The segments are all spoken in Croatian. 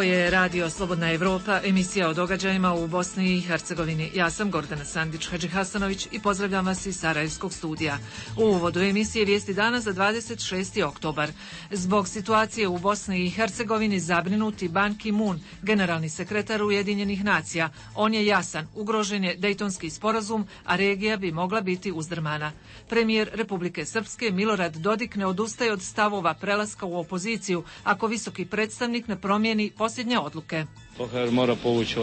je Radio Slobodna Evropa, emisija o događajima u Bosni i Hercegovini. Ja sam Gordana Sandić-Hadžihasanović i pozdravljam vas iz Sarajevskog studija. U uvodu emisije vijesti dana za 26. oktobar. Zbog situacije u Bosni i Hercegovini zabrinuti Ban Ki-moon, generalni sekretar Ujedinjenih nacija. On je jasan, ugrožen je Dejtonski sporazum, a regija bi mogla biti uzdrmana. Premijer Republike Srpske Milorad Dodik ne odustaje od stavova prelaska u opoziciju ako visoki predstavnik ne promijeni posljednje odluke. OHR mora povući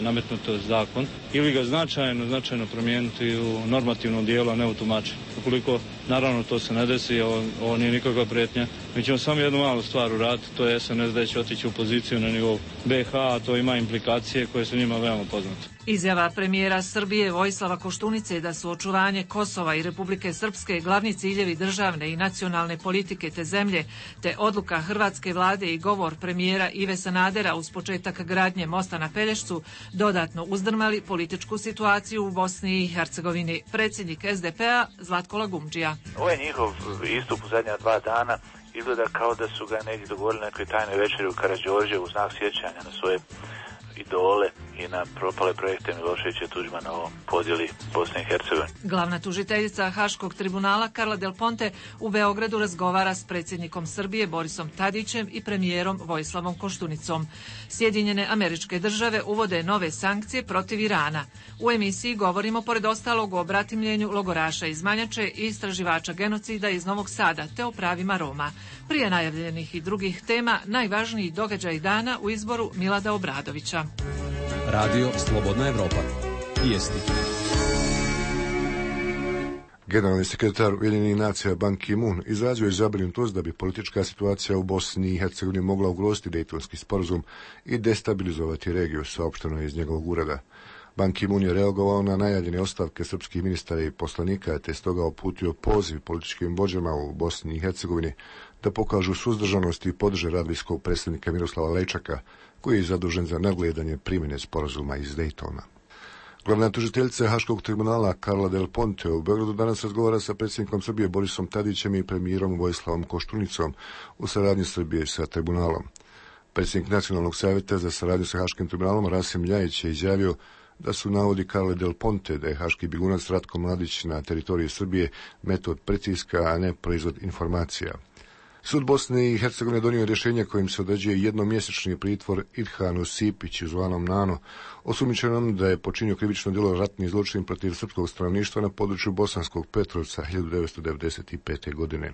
nametnuti zakon ili ga značajno promijeniti u normativnom dijelu, a ne u tumačenju. Ukoliko, naravno, to se ne desi, ovo nije nikakva prijetnja. Mi ćemo samo jednu malu stvar uraditi, to je SNSD da će otići u poziciju na nivou BiH, a to ima implikacije koje su njima veoma poznate. Izjava premijera Srbije Vojislava Koštunice da su očuvanje Kosova i Republike Srpske glavni ciljevi državne i nacionalne politike te zemlje, te odluka hrvatske vlade i govor premijera Ive Sanadera uz početak gradnje mosta na Pelješcu dodatno uzdrmali političku situaciju u Bosni i Hercegovini. Predsjednik SDP-a Zlatko Lagumdžija. Ovaj njihov istup u zadnja 2 dana izgleda kao da su ga negdje dogovorili nekoj tajnoj večeri u Karađorđe u znak sjećanja na svoje idole i na propale projekte Miloševića i Tuđmana o podjeli Bosne i Hercegovine. Glavna tužiteljica Haškog tribunala Carla Del Ponte u Beogradu razgovara s predsjednikom Srbije Borisom Tadićem i premijerom Vojislavom Koštunicom. Sjedinjene Američke Države uvode nove sankcije protiv Irana. U emisiji govorimo pored ostalog o bratimljenju logoraša iz Manjače i istraživača genocida iz Novog Sada te o pravima Roma. Prije najavljenih i drugih tema, najvažniji događaj dana u izboru Milada Obradovića. Radio Slobodna Evropa. Vijesti. Generalni sekretar Ujedinjenih nacija Ban Ki-moon izrazio je zabrinutost da bi politička situacija u Bosni i Hercegovini mogla ugroziti Dejtonski sporazum i destabilizovati regiju, saopšteno je iz njegovog ureda. Ban Ki-moon je reagovao na najavljene ostavke srpskih ministara i poslanika, te stoga uputio poziv političkim vođama u Bosni i Hercegovini da pokažu suzdržanost i podrže rad visokog predstavnika Miroslava Lejčaka, koji je zadužen za nadgledanje primjene sporazuma iz Dejtona. Glavna tužiteljica Haškog tribunala Carla Del Ponte u Beogradu danas razgovara sa predsjednikom Srbije Borisom Tadićem i premijerom Vojislavom Koštunicom u saradnji Srbije sa tribunalom. Predsjednik Nacionalnog savjeta za saradnju sa Haškim tribunalom Rasim Ljajić je izjavio da su navodi Carle Del Ponte da je haški bjegunac Ratko Mladić na teritoriji Srbije metod pritiska, a ne proizvod informacija. Sud Bosne i Hercegovine donio rješenje kojim se određuje jednomjesečni pritvor Idhanu Sipiću, zvanom Nano, osumnjičenom da je počinio krivično djelo ratni zločin protiv srpskog stanovništva na području Bosanskog Petrovca 1995. godine.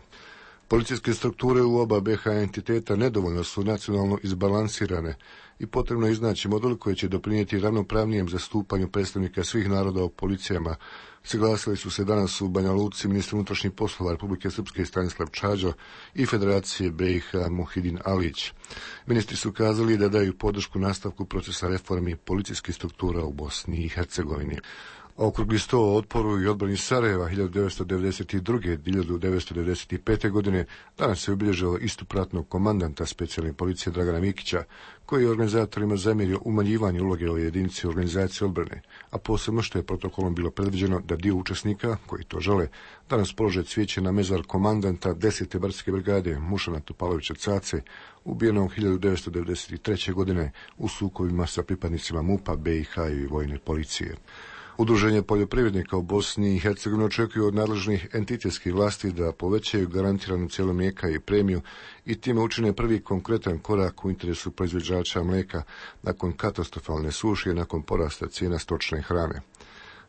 Policijske strukture u oba BiH entiteta nedovoljno su nacionalno izbalansirane i potrebno je iznaći model koji će doprinijeti ravnopravnijem zastupanju predstavnika svih naroda u policijama. Saglasili su se danas u Banja Luci ministar unutrašnjih poslova Republike Srpske Stanislav Čađo i Federacije BiH Muhidin Alić. Ministri su kazali da daju podršku nastavku procesa reformi policijskih struktura u Bosni i Hercegovini. Okrugli sto o otporu i odbrani Sarajeva 1992. i 1995. godine danas se obilježilo istup ratnog komandanta specijalne policije Dragana Mikića, koji je organizatorima zamjerio umanjivanje uloge ove jedinice organizacije odbrane, a posebno što je protokolom bilo predviđeno da dio učesnika, koji to žele, danas polože cvijeće na mezar komandanta 10. brdske brigade Mušana Topalovića Cace, ubijenog 1993. godine u sukobima sa pripadnicima MUP-a, BiH i vojne policije. Udruženje poljoprivrednika u Bosni i Hercegovini očekuju od nadležnih entitetskih vlasti da povećaju garantiranu cijenu mlijeka i premiju i time učine prvi konkretan korak u interesu proizvođača mlijeka nakon katastrofalne suše i nakon porasta cijena stočne hrane.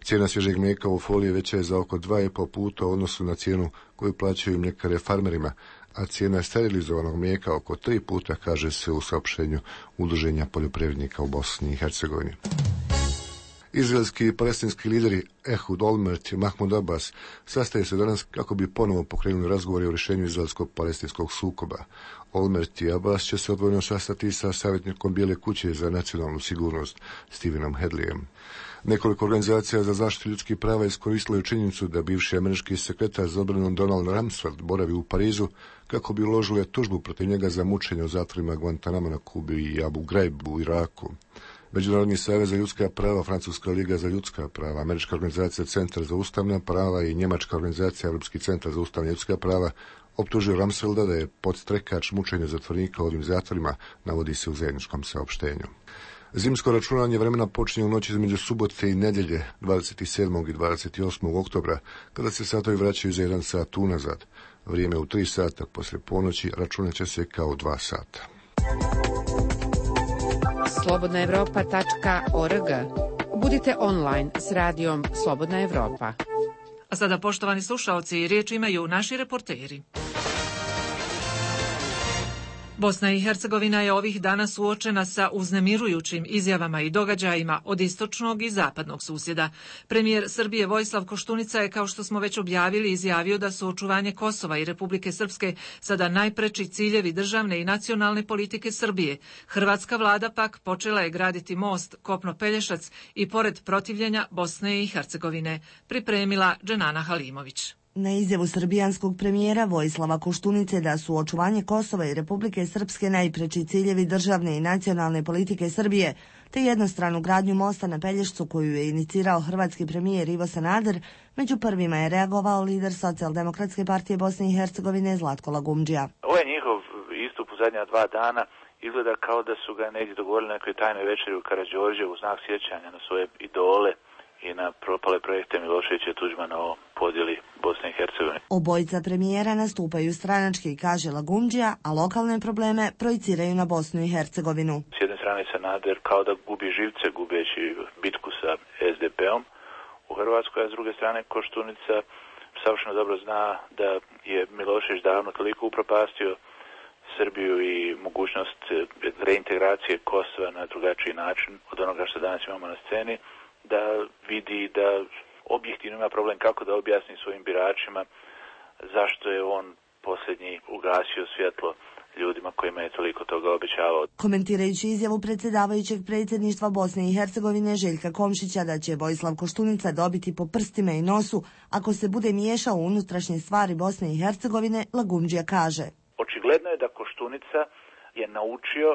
Cijena svježeg mlijeka u foliji veća je za oko 2,5 puta u odnosu na cijenu koju plaćaju mljekare farmerima, a cijena sterilizovanog mlijeka oko 3 puta, kaže se u saopštenju Udruženja poljoprivrednika u Bosni i Hercegovini. Izraelski i palestinski lideri Ehud Olmert i Mahmud Abbas sastaje se danas kako bi ponovo pokrenuli razgovore o rješenju izraelsko-palestinskog sukoba. Olmert i Abbas će se odvojeno sastati sa savjetnikom Bijele kuće za nacionalnu sigurnost Stevenom Hedlijem. Nekoliko organizacija za zaštitu ljudskih prava iskoristilo je činjenicu da bivši američki sekretar za obranu Donald Rumsfeld boravi u Parizu kako bi uložili tužbu protiv njega za mučenje u zatvorima Guantanamo na Kubi i Abu Ghraib u Iraku. Međunarodni savez za ljudska prava, Francuska liga za ljudska prava, Američka organizacija Centar za ustavna prava i Njemačka organizacija Europski centar za ustavna ljudska prava optužio Rumsfelda da je podstrekač mučenja zatvorenika u ovim zatvorima, navodi se u zajedničkom saopštenju. Zimsko računanje vremena počinje u noći između subote i nedjelje 27. i 28. oktobra, kada se satovi vraćaju za 1 sat unazad. Vrijeme u 3 sata poslije ponoći računat će se kao 2 sata. slobodnaevropa.org. Budite online s radijom Slobodna Evropa. A sada, poštovani slušaoci, riječ imaju naši reporteri. Bosna i Hercegovina je ovih dana suočena sa uznemirujućim izjavama i događajima od istočnog i zapadnog susjeda. Premijer Srbije Vojislav Koštunica je, kao što smo već objavili, izjavio da su očuvanje Kosova i Republike Srpske sada najpreči ciljevi državne i nacionalne politike Srbije. Hrvatska vlada pak počela je graditi most Kopno-Pelješac i pored protivljenja Bosne i Hercegovine, pripremila Dženana Halimović. Na izjavu srbijanskog premijera Vojislava Koštunice da su očuvanje Kosova i Republike Srpske najpreči ciljevi državne i nacionalne politike Srbije, te jednostranu gradnju mosta na Pelješcu koju je inicirao hrvatski premijer Ivo Sanader, među prvima je reagovao lider Socijaldemokratske partije Bosne i Hercegovine Zlatko Lagumdžija. Ovaj njihov istup u zadnja 2 dana izgleda kao da su ga negdje dogovorili na nekoj tajnoj večeri u Karađorđevu u znak sjećanja na svoje idole i na propale projekte Miloševića i Tuđmana o podjeli Bosne i Hercegovine. Obojica premijera nastupaju stranački, kaže Lagumdžija, a lokalne probleme projiciraju na Bosnu i Hercegovinu. S jedne strane Sanader kao da gubi živce gubeći bitku sa SDP-om u Hrvatskoj, a s druge strane Koštunica savršeno dobro zna da je Milošević davno toliko upropastio Srbiju i mogućnost reintegracije Kosova na drugačiji način od onoga što danas imamo na sceni, da vidi da objektivno ima problem kako da objasni svojim biračima zašto je on posljednji ugasio svjetlo ljudima kojima je toliko toga obećavao. Komentirajući izjavu predsjedavajućeg predsjedništva Bosne i Hercegovine Željka Komšića da će Vojislav Koštunica dobiti po prstima i nosu ako se bude miješao u unutrašnje stvari Bosne i Hercegovine, Lagumdžija kaže. Očigledno je da Koštunica je naučio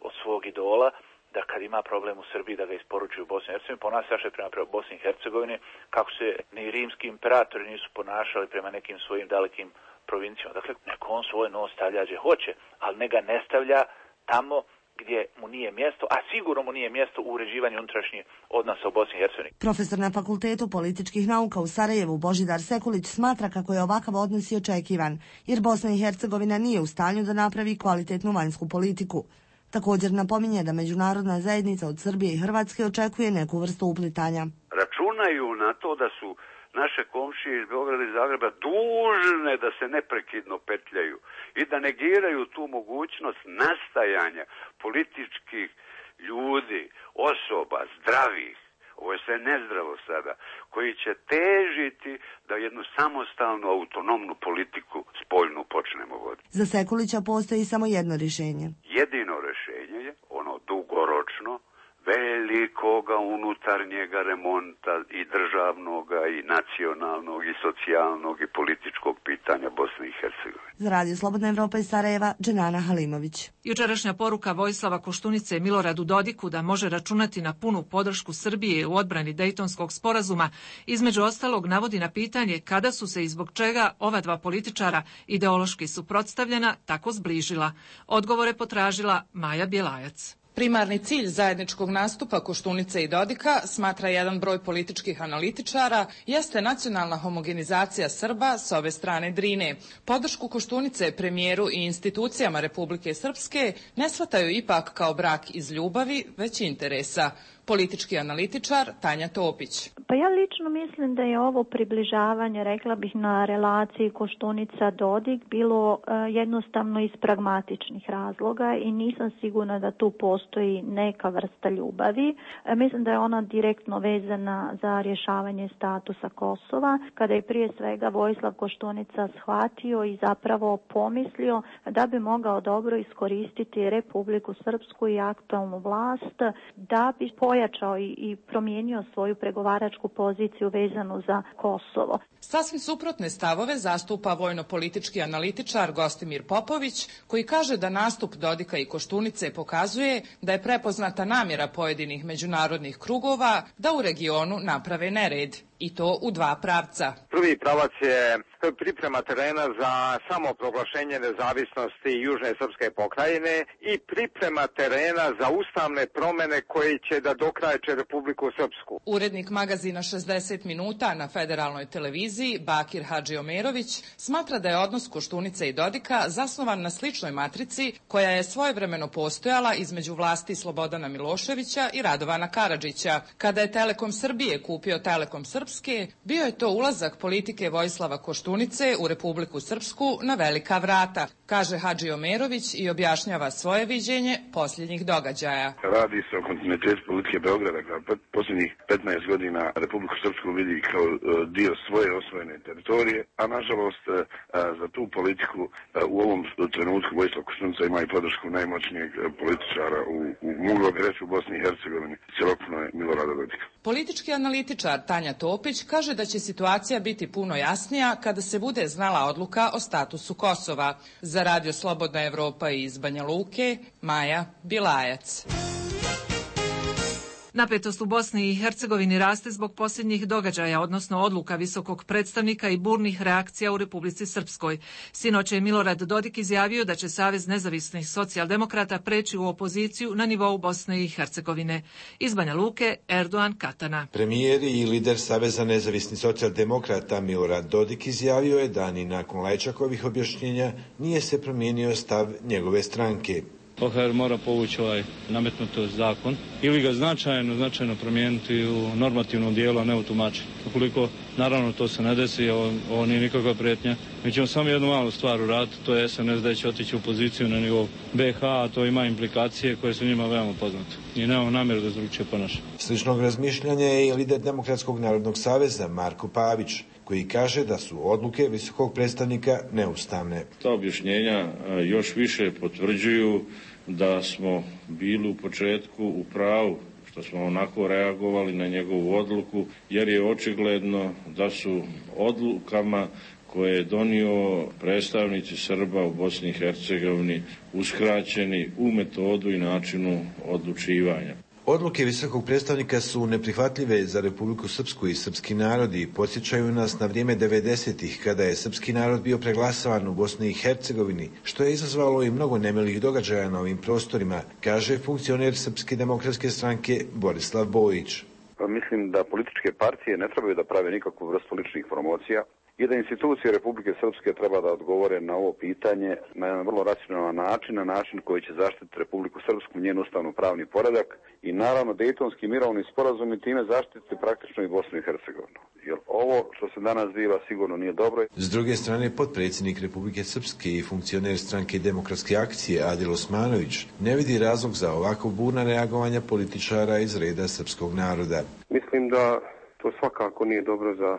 od svog idola da kad ima problem u Srbiji da ga isporučuju u Bosni i Hercegovini, ponaša se prema Bosni i Hercegovini kako se ni rimski imperatori nisu ponašali prema nekim svojim dalekim provincijama. Dakle, neko on svoj nos stavlja gdje hoće, ali ne ga ne stavlja tamo gdje mu nije mjesto, a sigurno mu nije mjesto u uređivanju unutrašnjih odnosa u Bosni i Hercegovini. Profesor na Fakultetu političkih nauka u Sarajevu Božidar Sekulić smatra kako je ovakav odnos i očekivan, jer Bosna i Hercegovina nije u stanju da napravi kvalitetnu vanjsku politiku. Također napominje da međunarodna zajednica od Srbije i Hrvatske očekuje neku vrstu uplitanja. Računaju na to da su naše komšije iz Beograda i Zagreba dužne da se neprekidno petljaju i da negiraju tu mogućnost nastajanja političkih ljudi, osoba, zdravih, ovo je sve nezdravo sada, koji će težiti da jednu samostalnu, autonomnu politiku spoljnu počnemo voditi. Za Sekulića postoji samo jedno rješenje. Jedino rješenje je ono dugoročno, velikoga unutarnjega remonta i državnoga i nacionalnog i socijalnog i političkog pitanja Bosne i Hercegovine. Za Radio Slobodna Evropa iz Sarajeva, Dženana Halimović. Jučerašnja poruka Vojislava Koštunice Miloradu Dodiku da može računati na punu podršku Srbije u odbrani Dejtonskog sporazuma, između ostalog navodi na pitanje kada su se i zbog čega ova dva političara ideološki suprotstavljena tako zbližila. Odgovore potražila Maja Bjelajac. Primarni cilj zajedničkog nastupa Koštunice i Dodika, smatra jedan broj političkih analitičara, jeste nacionalna homogenizacija Srba s ove strane Drine. Podršku Koštunice premijeru i institucijama Republike Srpske ne shvataju ipak kao brak iz ljubavi, već interesa. Politički analitičar Tanja Topić. Pa ja lično mislim da je ovo približavanje, rekla bih, na relaciji Koštunica-Dodik bilo jednostavno iz pragmatičnih razloga i nisam sigurna da tu postoji neka vrsta ljubavi. Mislim da je ona direktno vezana za rješavanje statusa Kosova, kada je prije svega Vojislav Koštunica shvatio i zapravo pomislio da bi mogao dobro iskoristiti Republiku Srpsku i aktualnu vlast da bi pojačao i promijenio svoju pregovaračku poziciju vezanu za Kosovo. Sasvim suprotne stavove zastupa vojno-politički analitičar Gostimir Popović, koji kaže da nastup Dodika i Koštunice pokazuje da je prepoznata namjera pojedinih međunarodnih krugova da u regionu naprave nered. i to u dva pravca. Prvi pravac je priprema terena za samoproglašenje nezavisnosti Južne srpske pokrajine i priprema terena za ustavne promene koje će da dokrajče Republiku Srpsku. Urednik magazina 60 minuta na federalnoj televiziji Bakir Hadžiomerović smatra da je odnos Koštunice i Dodika zasnovan na sličnoj matrici koja je svojevremeno postojala između vlasti Slobodana Miloševića i Radovana Karadžića. Kada je Telekom Srbije kupio Telekom Srpske, bio je to ulazak politike Vojislava Koštunice u Republiku Srpsku na velika vrata, kaže Hadžiomerović i objašnjava svoje viđenje posljednjih događaja. Radi se o kontinuitetu politike Beograda, koja posljednjih 15 godina Republiku Srpsku vidi kao dio svoje osvojene teritorije, a nažalost za tu politiku u ovom trenutku Vojislav Koštunica ima i podršku najmoćnijeg političara moglo bi reći u Bosni i Hercegovini, cjelokupno je Milorada Dodika. Politički analitičar Tanja Topić kaže da će situacija biti puno jasnija kada se bude znala odluka o statusu Kosova. Za Radio Slobodna Evropa iz Banja Luke, Maja Bilajac. Napetost u Bosni i Hercegovini raste zbog posljednjih događaja, odnosno odluka visokog predstavnika i burnih reakcija u Republici Srpskoj. Sinoć je Milorad Dodik izjavio da će Savez nezavisnih socijaldemokrata preći u opoziciju na nivou Bosne i Hercegovine. Iz Banja Luke, Erdogan Katana. Premijer i lider Saveza nezavisnih socijaldemokrata Milorad Dodik izjavio je da ni nakon Lajčakovih objašnjenja nije se promijenio stav njegove stranke. OHR mora povući nametnuti zakon ili ga značajno promijeniti u normativnom dijelu, a ne u tumačenju. Ukoliko, naravno, to se ne desi, ovo nije nikakva prijetnja. Mi ćemo samo jednu malu stvar uraditi, to je SNSD da će otići u poziciju na nivou BiH, a to ima implikacije koje su njima veoma poznate. I nemamo namjeru da drugčije ponaša. Sličnog razmišljanja je i lider Demokratskog narodnog saveza Marko Pavić, koji kaže da su odluke visokog predstavnika neustavne. Ta objašnjenja još više potvrđuju da smo bili u početku u pravu što smo onako reagovali na njegovu odluku, jer je očigledno da su odlukama koje je donio predstavnici Srba u Bosni i Hercegovini uskraćeni u metodu i načinu odlučivanja. Odluke visokog predstavnika su neprihvatljive za Republiku Srpsku i srpski narod i podsjećaju nas na vrijeme 90-ih kada je srpski narod bio preglasavan u Bosni i Hercegovini, što je izazvalo i mnogo nemilih događaja na ovim prostorima, kaže funkcioner Srpske demokratske stranke Borislav Bojić. Mislim da političke partije ne trebaju da prave nikakvu vrstu ličnih promocija i da institucije Republike Srpske treba da odgovore na ovo pitanje na jedan vrlo racionalan način, na način koji će zaštititi Republiku Srpsku, njen ustavno-pravni poredak i naravno Dejtonski mirovni sporazum i time zaštititi praktično i Bosnu i Hercegovinu. Jer ovo što se danas zbiva sigurno nije dobro. S druge strane, potpredsjednik Republike Srpske i funkcioner stranke Demokratske akcije Adil Osmanović ne vidi razlog za ovako burna reagovanja političara iz reda srpskog naroda. Mislim da to svakako nije dobro za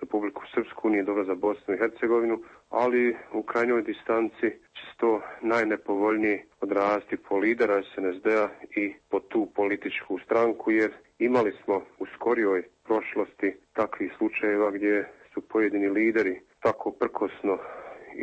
Republiku Srpsku, nije dobro za Bosnu i Hercegovinu, ali u krajnjoj distanci će se to najnepovoljnije odraziti po lidera SNSD-a i po tu političku stranku, jer imali smo u skorijoj prošlosti takvih slučajeva gdje su pojedini lideri tako prkosno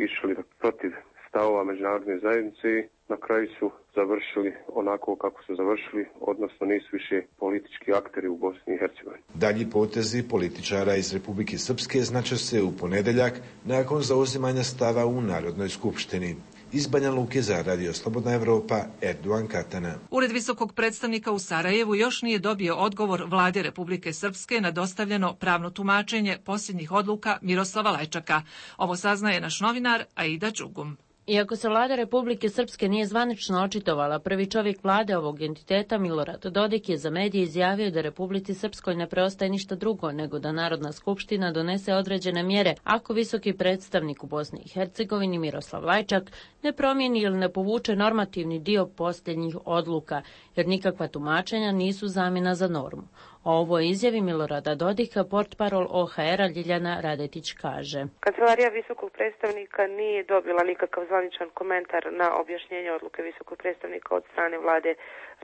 išli protiv stavova međunarodne zajednice i na kraju su završili onako kako su završili, odnosno nisu više politički akteri u Bosni i Hercegovini. Dalji potezi političara iz Republike Srpske znače se u ponedeljak nakon zauzimanja stava u Narodnoj skupštini. Iz Banja Luke za Radio Slobodna Evropa, Erdogan Katana. Ured visokog predstavnika u Sarajevu još nije dobio odgovor Vlade Republike Srpske na dostavljeno pravno tumačenje posljednjih odluka Miroslava Lajčaka. Ovo saznaje naš novinar Aida Đugum. Iako se vlada Republike Srpske nije zvanično očitovala, prvi čovjek vlade ovog entiteta, Milorad Dodik, je za medije izjavio da Republici Srpskoj ne preostaje ništa drugo nego da Narodna skupština donese određene mjere ako visoki predstavnik u Bosni i Hercegovini Miroslav Lajčak ne promijeni ili ne povuče normativni dio posljednjih odluka, jer nikakva tumačenja nisu zamjena za normu. O ovoj izjavi Milorada Dodika portparol OHR-a Ljiljana Radetić kaže. Kancelarija visokog predstavnika nije dobila nikakav zvaničan komentar na objašnjenje odluke visokog predstavnika od strane vlade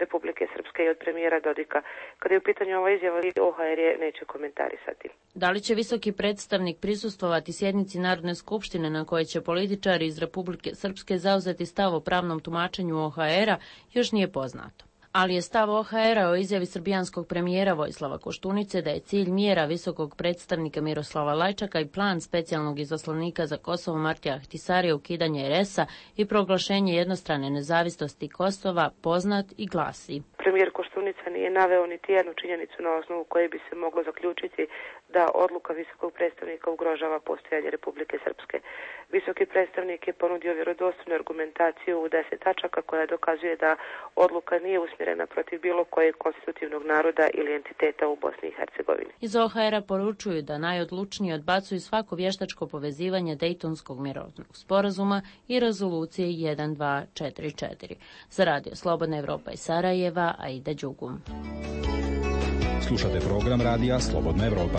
Republike Srpske i od premijera Dodika. Kada je u pitanju ova izjava, OHR je neće komentarisati. Da li će visoki predstavnik prisustvovati sjednici Narodne skupštine na kojoj će političari iz Republike Srpske zauzeti stav o pravnom tumačenju OHR-a još nije poznato. Ali je stav OHR-a o izjavi srbijanskog premijera Vojislava Koštunice da je cilj mjera visokog predstavnika Miroslava Lajčaka i plan specijalnog izaslanika za Kosovo Martija Ahtisarija ukidanje RS-a i proglašenje jednostrane nezavisnosti Kosova poznat i glasi. Premijer Koštunica nije naveo niti jednu činjenicu na osnovu koje bi se moglo zaključiti da odluka visokog predstavnika ugrožava postojanje Republike Srpske. Visoki predstavnik je ponudio vjerodostojnu argumentaciju u 10 tačaka koja dokazuje da odluka nije usmjerena protiv bilo kojeg konstitutivnog naroda ili entiteta u Bosni i Hercegovini. Iz OHR-a poručuju da najodlučnije odbacuju svako vještačko povezivanje Dejtonskog mirovnog sporazuma i rezolucije 1244. Za Radio Slobodna Evropa iz Sarajeva, Aida Đugum. Slušate program Radija Slobodna Evropa.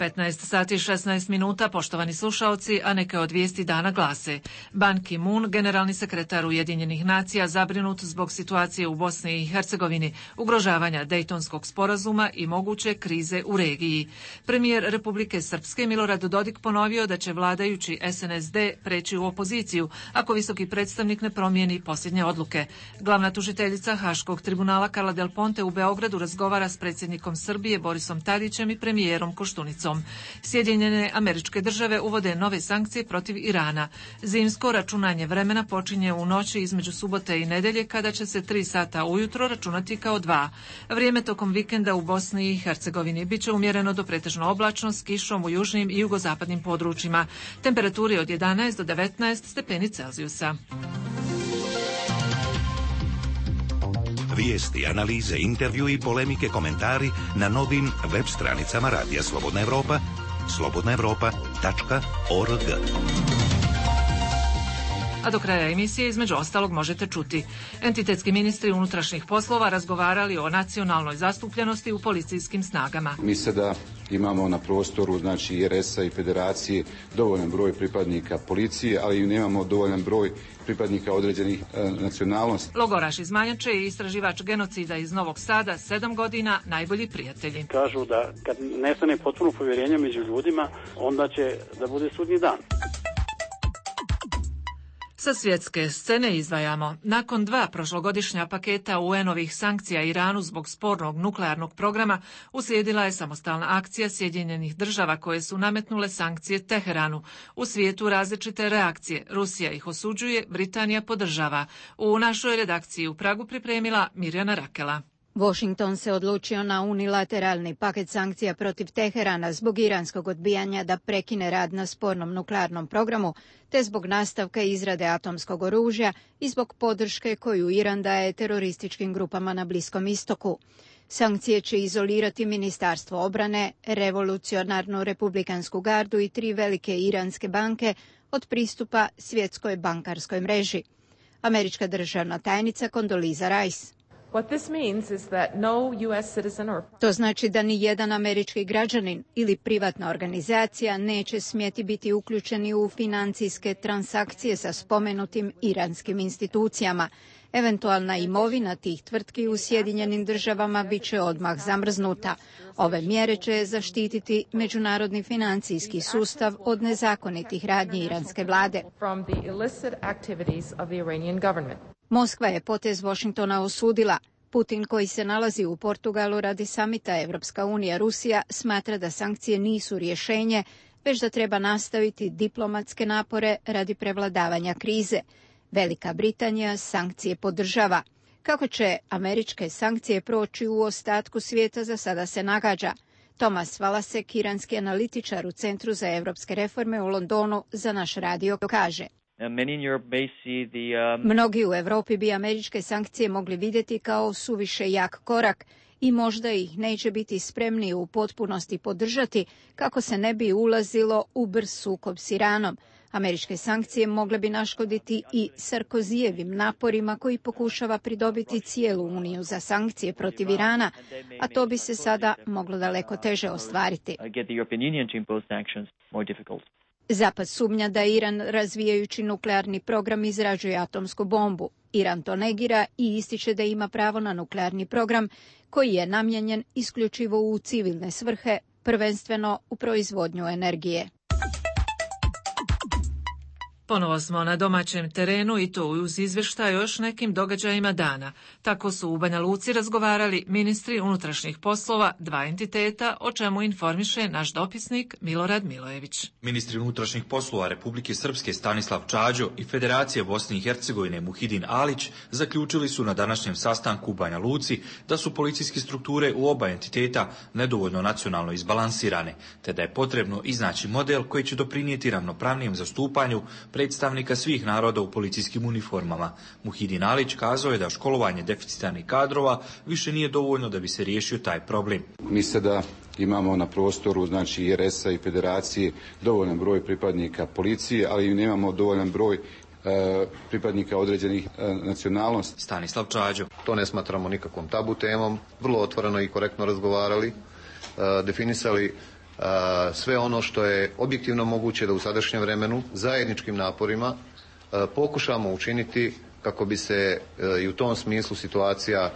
15 sati i 16 minuta, poštovani slušaoci, a neke od vijesti dana glase. Ban Ki-moon, generalni sekretar Ujedinjenih nacija, zabrinut zbog situacije u Bosni i Hercegovini, ugrožavanja Dejtonskog sporazuma i moguće krize u regiji. Premijer Republike Srpske Milorad Dodik ponovio da će vladajući SNSD preći u opoziciju ako visoki predstavnik ne promijeni posljednje odluke. Glavna tužiteljica Haškog tribunala Karla Del Ponte u Beogradu razgovara s predsjednikom Srbije Borisom Tadićem i premijerom Koštunicom. Sjedinjene Američke Države uvode nove sankcije protiv Irana. Zimsko računanje vremena počinje u noći između subote i nedelje kada će se 3 sata ujutro računati kao 2. Vrijeme tokom vikenda u Bosni i Hercegovini biće umjereno do pretežno oblačno s kišom u južnim i jugozapadnim područjima. Temperaturi od 11 do 19 stepeni Celzijusa. Vijesti, analize, intervju i polemike, komentari na novim web stranicama Radija Slobodna Evropa, slobodnaevropa.org. A do kraja emisije između ostalog možete čuti. Entitetski ministri unutrašnjih poslova razgovarali o nacionalnoj zastupljenosti u policijskim snagama. Mi sada imamo na prostoru, znači i RS-a i federacije, dovoljan broj pripadnika policije, ali i nemamo dovoljan broj pripadnika određenih nacionalnosti. Logoraš iz Manjače i istraživač genocida iz Novog Sada, 7 godina, najbolji prijatelji. Kažu da kad nestane potpuno povjerenje među ljudima, onda će da bude sudnji dan. Sa svjetske scene izdvajamo. Nakon 2 prošlogodišnja paketa UN-ovih sankcija Iranu zbog spornog nuklearnog programa, uslijedila je samostalna akcija Sjedinjenih Država koje su nametnule sankcije Teheranu. U svijetu različite reakcije. Rusija ih osuđuje, Britanija podržava. U našoj redakciji u Pragu pripremila Mirjana Rakela. Washington se odlučio na unilateralni paket sankcija protiv Teherana zbog iranskog odbijanja da prekine rad na spornom nuklearnom programu, te zbog nastavka izrade atomskog oružja i zbog podrške koju Iran daje terorističkim grupama na Bliskom istoku. Sankcije će izolirati Ministarstvo obrane, Revolucionarnu republikansku gardu i 3 velike iranske banke od pristupa svjetskoj bankarskoj mreži. Američka državna tajnica Condoleezza Rice. To znači da ni jedan američki građanin ili privatna organizacija neće smjeti biti uključeni u financijske transakcije sa spomenutim iranskim institucijama. Eventualna imovina tih tvrtki u Sjedinjenim Državama bit će odmah zamrznuta. Ove mjere će zaštititi međunarodni financijski sustav od nezakonitih radnji iranske vlade. Moskva je potez Washingtona osudila. Putin, koji se nalazi u Portugalu radi samita Evropska unija Rusija, smatra da sankcije nisu rješenje, već da treba nastaviti diplomatske napore radi prevladavanja krize. Velika Britanija sankcije podržava. Kako će američke sankcije proći u ostatku svijeta za sada se nagađa. Tomas Valasek, iranski analitičar u Centru za evropske reforme u Londonu, za naš radio kaže. Mnogi u Europi bi američke sankcije mogli vidjeti kao suviše jak korak i možda ih neće biti spremni u potpunosti podržati kako se ne bi ulazilo u brz sukob s Iranom. Američke sankcije mogle bi naškoditi i Sarkozijevim naporima koji pokušava pridobiti cijelu Uniju za sankcije protiv Irana, a to bi se sada moglo daleko teže ostvariti. Zapad sumnja da Iran, razvijajući nuklearni program, izrađuje atomsku bombu. Iran to negira i ističe da ima pravo na nuklearni program koji je namijenjen isključivo u civilne svrhe, prvenstveno u proizvodnju energije. Ponovo smo na domaćem terenu i to uz izvještaj o još nekim događajima dana. Tako su u Banja Luci razgovarali ministri unutrašnjih poslova dva entiteta, o čemu informiše naš dopisnik Milorad Milojević. Ministri unutrašnjih poslova Republike Srpske Stanislav Čađo i Federacije Bosne i Hercegovine Muhidin Alić zaključili su na današnjem sastanku u Banja Luci da su policijske strukture u oba entiteta nedovoljno nacionalno izbalansirane, te da je potrebno iznaći model koji će doprinijeti ravnopravnijem zastupanju predstavnika svih naroda u policijskim uniformama. Muhidin Alić kazao je da školovanje deficitarnih kadrova više nije dovoljno da bi se riješio taj problem. Misle da imamo na prostoru znači RS-a i Federacije dovoljan broj pripadnika policije, ali nemamo dovoljan broj pripadnika određenih nacionalnosti. Stanislav Čađo. To ne smatramo nikakvom tabu temom, vrlo otvoreno i korektno razgovarali, definisali sve ono što je objektivno moguće da u sadašnjem vremenu zajedničkim naporima pokušamo učiniti kako bi se i u tom smislu situacija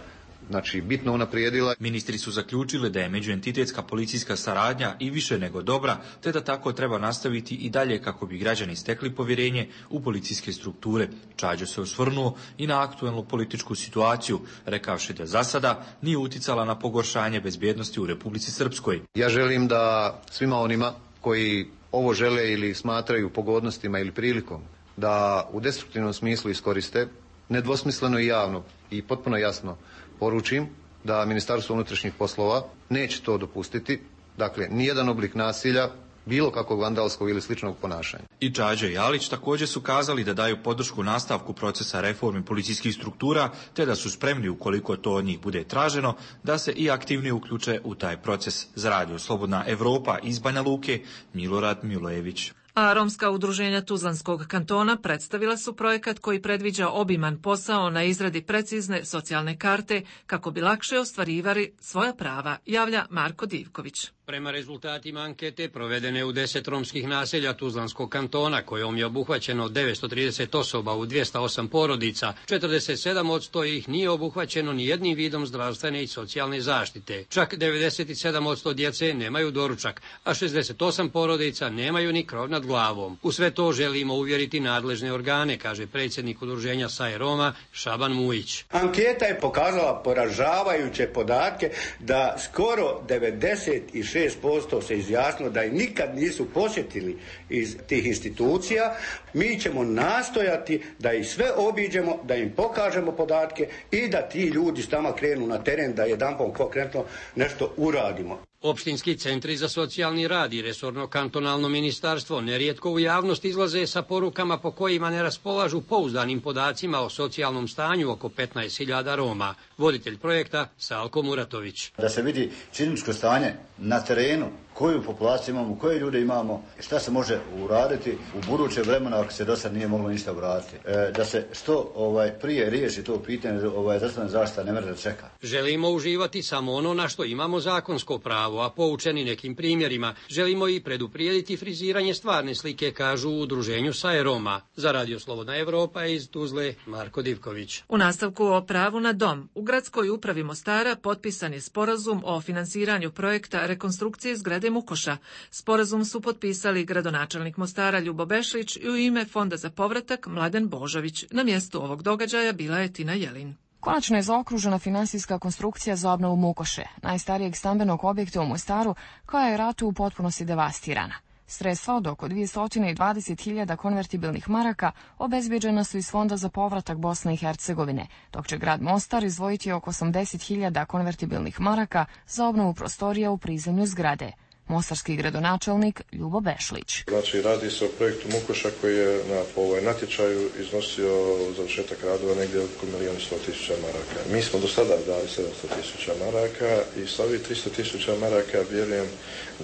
bitno unaprijedila. Ministri su zaključili da je međuentitetska policijska saradnja i više nego dobra, te da tako treba nastaviti i dalje kako bi građani stekli povjerenje u policijske strukture. Čađo se osvrnuo i na aktuelnu političku situaciju, rekavši da za sada nije uticala na pogoršanje bezbjednosti u Republici Srpskoj. Ja želim da svima onima koji ovo žele ili smatraju pogodnostima ili prilikom da u destruktivnom smislu iskoriste, nedvosmisleno i javno i potpuno jasno poručim da Ministarstvo unutrašnjih poslova neće to dopustiti. Dakle, nijedan oblik nasilja, bilo kakvog vandalskog ili sličnog ponašanja. I Čađa i Alić također su kazali da daju podršku nastavku procesa reforme policijskih struktura, te da su spremni, ukoliko to od njih bude traženo, da se i aktivnije uključe u taj proces. Za Radio Slobodna Evropa iz Banja Luke, Milorad Milojević. A romska udruženja Tuzlanskog kantona predstavila su projekat koji predviđa obiman posao na izradi precizne socijalne karte kako bi lakše ostvarivali svoja prava, javlja Marko Divković. Prema rezultatima ankete provedene u 10 romskih naselja Tuzlanskog kantona, kojom je obuhvaćeno 930 osoba u 208 porodica, 47% ih nije obuhvaćeno ni jednim vidom zdravstvene i socijalne zaštite. Čak 97% djece nemaju doručak, a 68 porodica nemaju ni krov nad glavom. U sve to želimo uvjeriti nadležne organe, kaže predsjednik udruženja SAE Roma Šaban Mujić. Anketa je pokazala poražavajuće podatke da skoro 96% se izjasnilo da ih nikad nisu posjetili iz tih institucija. Mi ćemo nastojati da ih sve obiđemo, da im pokažemo podatke i da ti ljudi s nama krenu na teren, da jedanput konkretno nešto uradimo. Opštinski centri za socijalni rad i resorno kantonalno ministarstvo nerijetko u javnost izlaze sa porukama po kojima ne raspolažu pouzdanim podacima o socijalnom stanju oko 15.000 Roma. Voditelj projekta Salko Muratović. Da se vidi činjeničko stanje na terenu, koju populaciju imamo, koje ljude imamo, šta se može uraditi u buduće vremena ako se do sad nije moglo ništa uraditi. Da se što prije riješi to pitanje, zdravstvena zaštita ne može da čeka. Želimo uživati samo ono na što imamo zakonsko pravo, a poučeni nekim primjerima, želimo i preduprijediti friziranje stvarne slike, kažu u udruženju SAE Roma. Za Radio Slobodna Evropa iz Tuzle, Marko Divković. U nastavku o pravu na dom, u gradskoj upravi Mostara potpisan je sporazum o finansiranju projekta rekonstrukcije zgrade Mukoša. Sporazum su potpisali gradonačelnik Mostara Ljubo Bešlić i u ime Fonda za povratak Mladen Božović. Na mjestu ovog događaja bila je Tina Jelin. Konačno je zaokružena finansijska konstrukcija za obnovu Mukoše, najstarijeg stambenog objekta u Mostaru, koja je ratu u potpunosti devastirana. Sredstva od oko 220.000 konvertibilnih maraka obezbeđena su iz Fonda za povratak Bosne i Hercegovine, dok će grad Mostar izdvojiti oko 80.000 konvertibilnih maraka za obnovu prostorija u prizemlju zgrade. Mostarski gradonačelnik Ljubo Bešlić. Znači, radi se o projektu Mukoša koji je na natječaju iznosio završetak radova negdje oko 1.100.000 maraka. Mi smo do sada dali 700.000 maraka i sa ovih 300.000 maraka vjerujem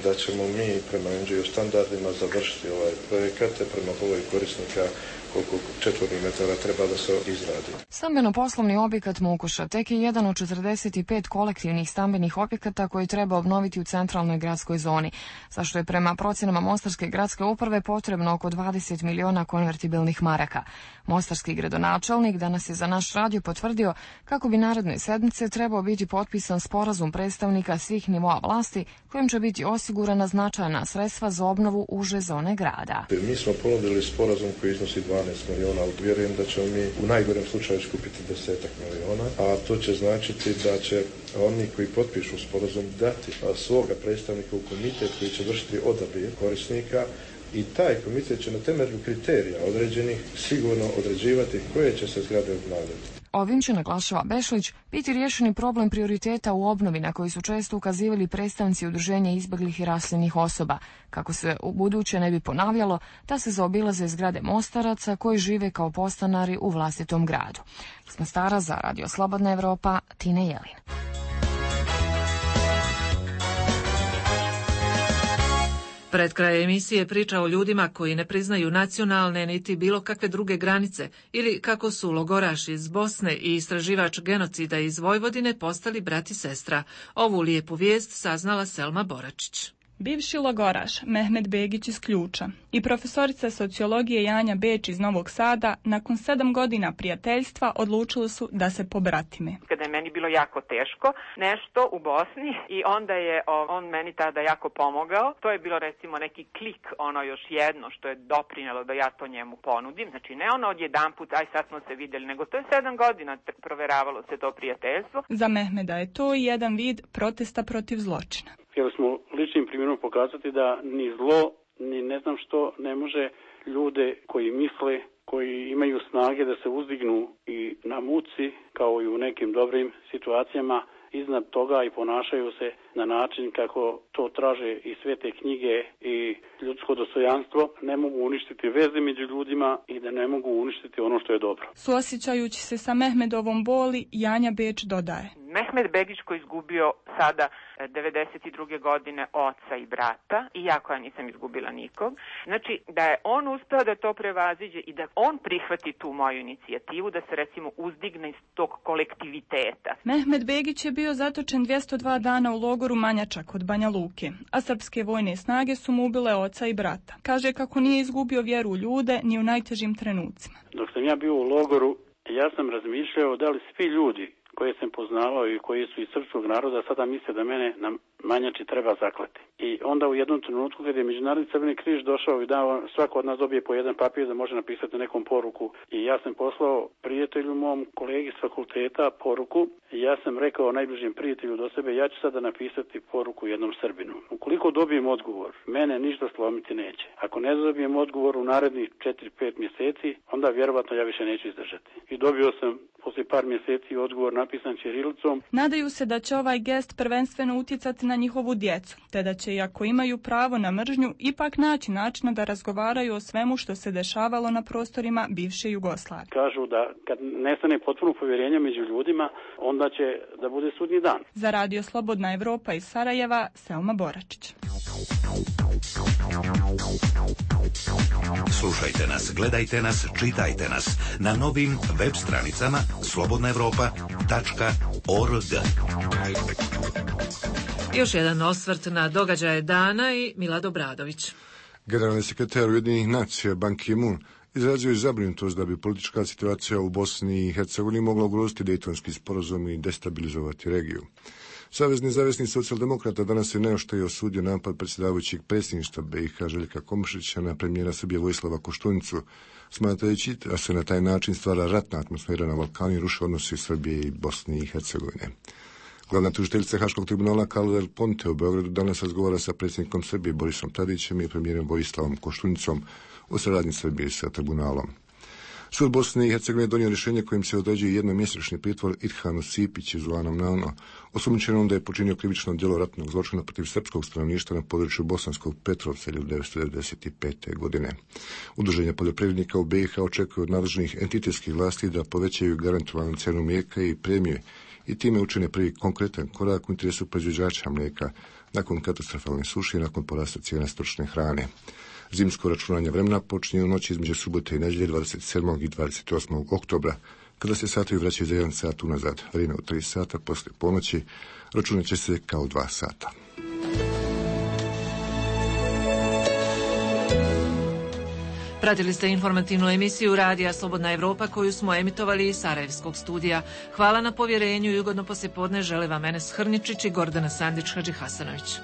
da ćemo mi prema NGO standardima završiti ovaj projekat, prema broju korisnika koliko četvornih metara treba da se izradi. Stambeno-poslovni objekat Mukoša tek je jedan od 45 kolektivnih stambenih objekata koji treba obnoviti u centralnoj gradskoj zoni zoni, zašto je prema procjenama Mostarske gradske uprave potrebno oko 20 miliona konvertibilnih maraka. Mostarski gradonačelnik danas je za naš radio potvrdio kako bi naredne sedmice trebao biti potpisan sporazum predstavnika svih nivoa vlasti kojim će biti osigurana značajna sredstva za obnovu uže zone grada. Mi smo ponudili sporazum koji iznosi 12 miliona, ali vjerujem da ćemo mi u najgorem slučaju skupiti 10 miliona, a to će značiti da će oni koji potpišu sporazum dati svoga predstavnika u komitet koji će vršiti odabir korisnika i taj komitet će na temelju kriterija određenih sigurno određivati koje će se zgrade obnavljati. Ovim će, naglašava Bešlić, biti riješeni problem prioriteta u obnovi na koji su često ukazivali predstavnici udruženja izbjeglih i raseljenih osoba, kako se u buduće ne bi ponavljalo da se zaobilaze zgrade Mostaraca koji žive kao podstanari u vlastitom gradu. Iz Mostara za Radio Slobodna Evropa, Tine Jelin. Pred kraj emisije priča o ljudima koji ne priznaju nacionalne niti bilo kakve druge granice ili kako su logoraš iz Bosne i istraživač genocida iz Vojvodine postali brat i sestra. Ovu lijepu vijest saznala Selma Boračić. Bivši logoraš Mehmed Begić iz Ključa i profesorica sociologije Janja Beč iz Novog Sada nakon 7 godina prijateljstva odlučili su da se pobratime. Kada je meni bilo jako teško nešto u Bosni i onda je on meni tada jako pomogao. To je bilo recimo neki klik, ono još jedno što je doprinjelo da ja to njemu ponudim. Znači ne ono odjedanput, aj sad smo se vidjeli, nego to je 7 godina proveravalo se to prijateljstvo. Za Mehmeda je to jedan vid protesta protiv zločina. Htjeli smo ličnim primjerom pokazati da ni zlo, ni ne znam što ne može ljude koji misle, koji imaju snage da se uzdignu i na muci, kao i u nekim dobrim situacijama, iznad toga i ponašaju se na način kako to traže i svete knjige i ljudsko dostojanstvo, ne mogu uništiti veze među ljudima i da ne mogu uništiti ono što je dobro. Suosjećajući se sa Mehmedovom boli, Janja Beč dodaje. Mehmed Begić koji je izgubio sada 92. godine oca i brata, iako ja nisam izgubila nikog. Znači da je on uspeo da to prevaziđe i da on prihvati tu moju inicijativu, da se recimo uzdigne iz tog kolektiviteta. Mehmed Begić je bio zatočen 202 dana u logoru Manjača kod Banja Luke, a srpske vojne snage su mu ubile oca i brata. Kaže kako nije izgubio vjeru u ljude ni u najtežim trenucima. Dok sam ja bio u logoru, ja sam razmišljao da li svi ljudi koje sam poznavao i koji su iz srpskog naroda sada misle da mene na Manjači treba zaklati. I onda u jednom trenutku kad je Međunarodni Crveni križ došao i dao, svako od nas dobije po jedan papir da može napisati nekom poruku. I ja sam poslao prijatelju mom, kolegi s fakulteta poruku i ja sam rekao najbližem prijatelju do sebe, ja ću sada napisati poruku jednom Srbinu. Ukoliko dobijem odgovor, mene ništa slomiti neće. Ako ne dobijem odgovor u narednih 4-5 mjeseci, onda vjerovatno ja više neću izdržati. I dobio sam poslije par mjeseci odgovor napisan ćirilicom. Nadaju se da će ovaj gest prvenstveno utjecati na njihovu djecu, te da će, iako imaju pravo na mržnju, ipak naći načina da razgovaraju o svemu što se dešavalo na prostorima bivše Jugoslavije. Kažu da kad nestane potpuno povjerenje među ljudima, onda će da bude sudnji dan. Za Radio Slobodna Evropa iz Sarajeva, Selma Boračić. Slušajte nas, gledajte nas, čitajte nas na novim web stranicama slobodnaevropa.org. Još jedan osvrt na događaje dana i Milad Obradović. Generalni sekretar Ujedinjenih nacija Ban Ki-moon izrazio je zabrinutost da bi politička situacija u Bosni i Hercegovini mogla ugroziti Dejtonski sporazum i destabilizovati regiju. Savezni nezavisni socijaldemokrata danas je neoštro osudio napad predsjedavajućeg predsjedništva BiH Željka Komšića na premijera Srbije Vojislava Koštunicu, smatrajući da se na taj način stvara ratna atmosfera na Balkanu i ruše odnosi Srbije i Bosne i Hercegovine. Glavna tužiteljica Haškog tribunala Carla Del Ponte u Beogradu danas razgovara sa predsjednikom Srbije Borisom Tadićem i premijerom Vojislavom Koštunicom o saradnji Srbije sa tribunalom. Sud Bosne i Hercegovine donio rješenje kojim se određuje jednomjesečni pritvor Irhanu Sipiću zvanom Nano, osumnjičenom da je počinio krivično djelo ratnog zločina protiv srpskog stanovništva na području Bosanskog Petrovca 1995. godine. Udruženja poljoprivrednika u BiH očekuju od nadležnih entitetskih vlasti da povećaju garantovanu cijenu mlijeka i premije i time učine prvi konkretan korak u interesu proizvođača mlijeka nakon katastrofalne suše i nakon porasta cijena stočne hrane. Zimsko računanje vremena počinje u noći između subote i nedjelje 27. i 28. oktobra, kada se satovi vraćaju za 1 sat unazad. Vrijeme u 3 sata poslije ponoći računat će se kao 2 sata. Pratili ste informativnu emisiju Radija Slobodna Evropa koju smo emitovali iz Sarajevskog studija. Hvala na povjerenju i ugodno poslijepodne žele vam Enes Hrničić i Gordana Sandić Hadžihasanović.